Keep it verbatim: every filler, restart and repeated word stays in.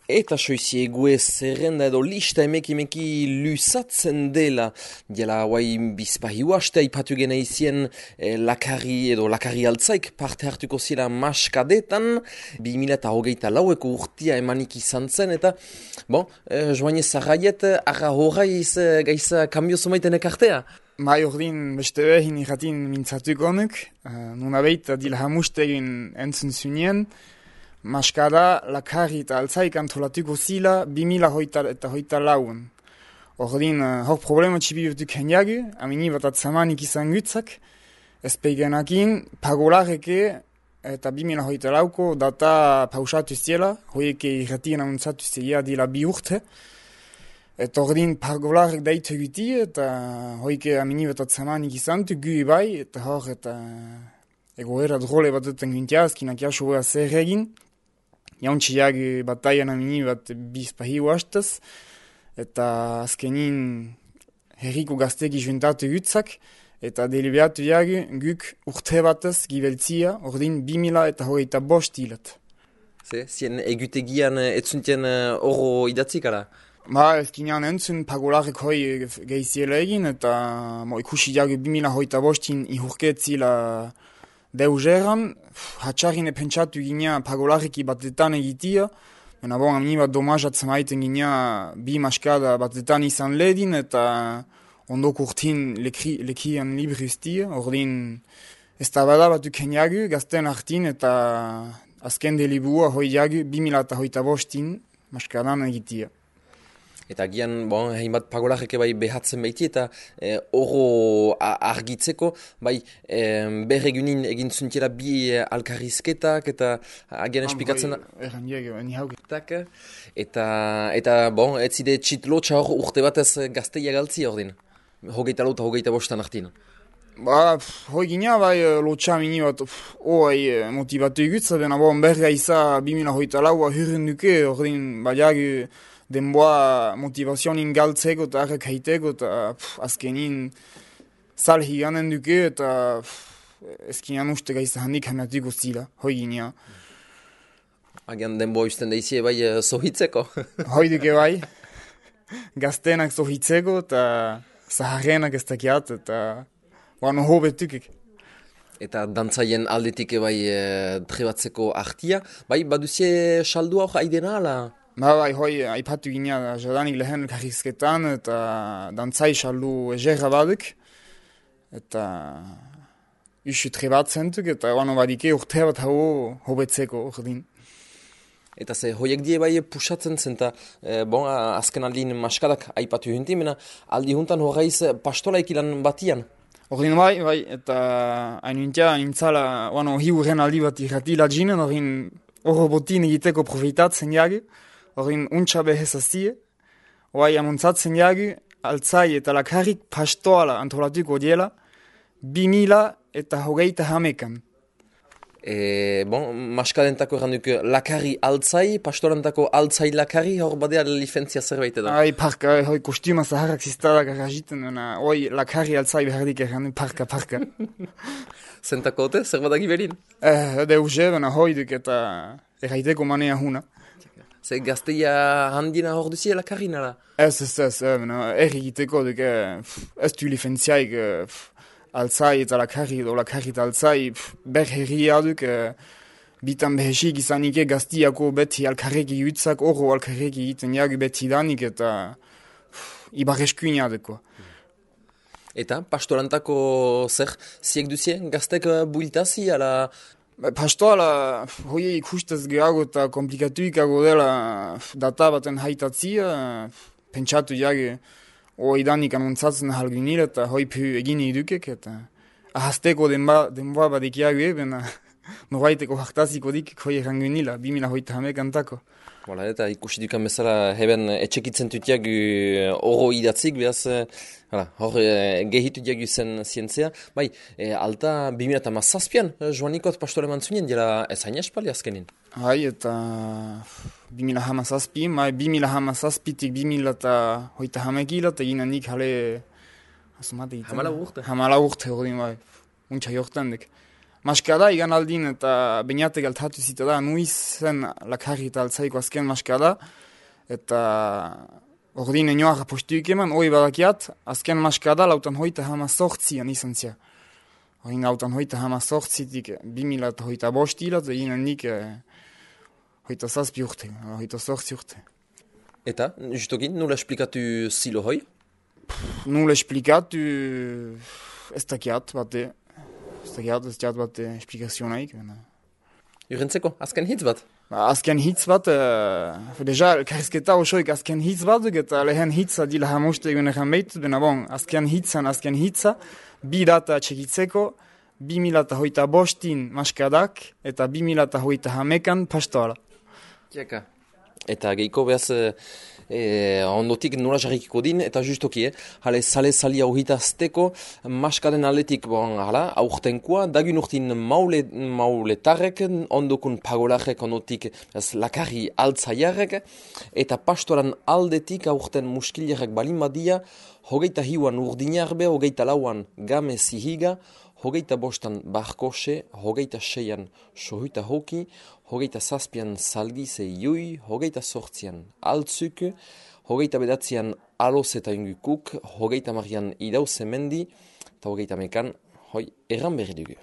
Eta soiziegue zerrenda edo lista emeki-emeki luzatzen dela. Diela, guai, bizpahi uaste, ipatu gena izien eh, lakari edo lakari altzaik parte hartuko zira maskadetan, bi mila eta hogeita laueko urtia emanik izan zen, eta, bon, eh, joan ez zarraiet, arra horreiz eh, gaiza kambio zumaiten ekartea. Bai ordin beste behin irratin mintzatuko honuk, uh, nuna behita dila hamustegin entzun zunien, maskada lakari eta altzaik antolatuko zila bi mila hoita eta hoita lauen. Ordin, uh, hor problema txibi urtuk hendiagu, amini bat atzamanik izan gutzak, ez peigenakin pagolareke eta bi mila hoita lauko data pausatu ziela, hoieke irratien amuntzatu zila dila bi urte, eta ordin pagolarek daitu guti, eta hoike amini bat atzamanik izan du, gu bai, eta hor eta egoera drole bat duten guntia, azkinak jaso beha zer egin, jauntxiak bataian amini bat bizpahi uastaz, eta azkenin herriko gazteki juntatu gutzak, eta deliberatu jagu guk urte batez gibeltzia, ordin bi mila eta hogeita bost hilat. Ze, zien egutegian etzuntien oro idatzik ara? Ba, ezkinean entzun pagolarek hoi gehiziela egin, eta mo, ikusi jagu bi mila hogeita bostin ihurketzila deuzeran, hatxarine pentsatu gina pagolareki batetan egitia, baina bon, amini bat domazatzen maiten gina bi maskada batetan izan ledin, eta ondoko urtin lekri, lekian libri ustia, ordin ez da bada batu keniagu, gazten hartin, eta azken delibua hoi jagu bi mila eta hogeita bostin maskadan egitia. Eta gian, bon, hainbat pagolareke bai behatzen baiti eta eh, oro argitzeko, bai eh, berregunin egin zuntela bi eh, alkarrizketak eta agian espikatzen da. Erran diego, eni haugetak. Eta, eta bon, ez zide txitlotxa hor urte batez gazteia galtzi hor din, hogeita lauta hogeita bostan hartin. Ba, hoi gina bai lotxa mini bat, oai motivatu egutza, bena bon, berga iza bi mila hogeita laua hurren duke, hor din, baliagu, denboa motivazionin galtzeko eta arrek haiteko eta pff, azkenin sal higanen duke eta ezkinan uste gaizta handik hamiatuko zila, hoi ginean. Agian denboa usten daizie bai uh, zohitzeko? Hoi duke bai, gaztenak zohitzeko eta zaharrenak ez dakiat eta bano hobetukik. Eta dantzaien aldetik bai uh, trebatzeko artia, bai baduzie saldua hor aidena ala? Ba, bai, hoi, aipatu gina jadanik lehen karrizketan, eta dantzai saldu egerra baduk, eta usu trebatzen duk, eta bano badike urte bat hau hobetzeko ordin. Eta ze, hoiek die bai pusatzen zen, eta e, bon, azken aldin maskadak aipatu junti, mena aldi juntan horreiz pastolaik ilan batian. Ordin bai, bai, eta hain untia, nintzala, bano, hi urren aldi bat irratila jinen, ordin horro botin egiteko profitatzen jagi, Horin untsa behezaztie, oai amuntzatzen jagu, altzai eta lakarrik pastoala antolatuko diela, bi mila eta hogeita hamekan. E, bon, maskadentako erranduk lakarri altzai, pastorantako altzai lakarri, hor badea licentzia zerbait edo? Ai, parka, hoi kostuma zaharrak ziztadak arragiten, oi lakarri altzai behardik errandu, parka, parka. Zentako ote, zer badak iberin? Eh, deuze, bena hoi duk eta erraiteko manea huna. Ze gazteia handina hor duzie lakarri nara? Ez, ez, ez, erri egiteko duk, ez du licenziaik altzai eta lakarri edo lakarri eta altzai ber herria duk, bitan behesik izanike gaztiako beti alkarreki jutzak, oro alkarreki egiten jagu beti danik eta ibarreskuina deko. Eta pastorantako zer, ziek duzie gaztek builtazi, ala... Pastoala, hoi ikustez gehago eta komplikatuikago dela data baten haitatzia, pentsatu jage hoi danik anuntzatzen halgunil eta hoi pu egin edukek eta ahazteko denba, denboa badik jagu eben, norbaiteko hartaziko dik hoi errangunila, bi mila hoita hamek antako. Bola, eta ikusi dukan bezala heben etxekitzen tutiak oro idatzik, behaz, hala, hor gehitu diagu zen zientzia. Bai, e, alta bi mila eta mazazpian, joanikot pastore mantzunien, dira ez hain espali azkenin? Hai, eta bi mila hamazazpi, bai, bi mila hamazazpitik bi mila eta hoita hamekila, eta ginen nik hale... Hamala urte? Hamala urte, hori, bai, untsa jortan dek. maskada igan aldin eta bainate galtatu zita da, nuiz zen lakarri eta altzaiko azken maskada, eta ordin enoa postuik eman, hoi badakiat, azken maskada lautan hoita hama sortzian izan zia. Horin lautan hoita hama sortzitik bimila eta hoita bostila, eta ginen nik eh, hoita zazpi urte, hoita sortzi urte. Eta, justokin, nola esplikatu zilo hoi? Nola esplikatu ez dakiat bate, ez dakiat ez dakiat bate esplikazionaik. Urentzeko, azken hitz bat? Ba, azken hitz bat, uh, deja, elkarrizketa osoik azken hitz bat, eta lehen hitza dila hamoste egun egan behitut, bena bon, azken hitzan azken hitza, bi data txekitzeko, bi mila eta hoita bostin maskadak, eta bi mila eta hoita hamekan pastoala. Tiaka. Eta geiko behaz e, ondotik nola jarrikiko din, eta justoki, eh? Hale, sale salia uhitazteko, maskaden aletik, bon, hala, aurtenkoa, dagun urtin maule, mauletarrek, ondokun pagolarek, ondotik ez, lakarri altzaiarrek, eta pastoran aldetik aurten muskilerek balin badia, hogeita hiuan urdinarbe, hogeita lauan game zihiga, hogeita bostan barkose, hogeita seian sohuita hoki, hogeita zazpian salgize iui, hogeita sortzian altzuk, hogeita bedatzian aloz eta ingukuk, hogeita marian idauze mendi, eta hogeita mekan, hoi, erran berri dugu.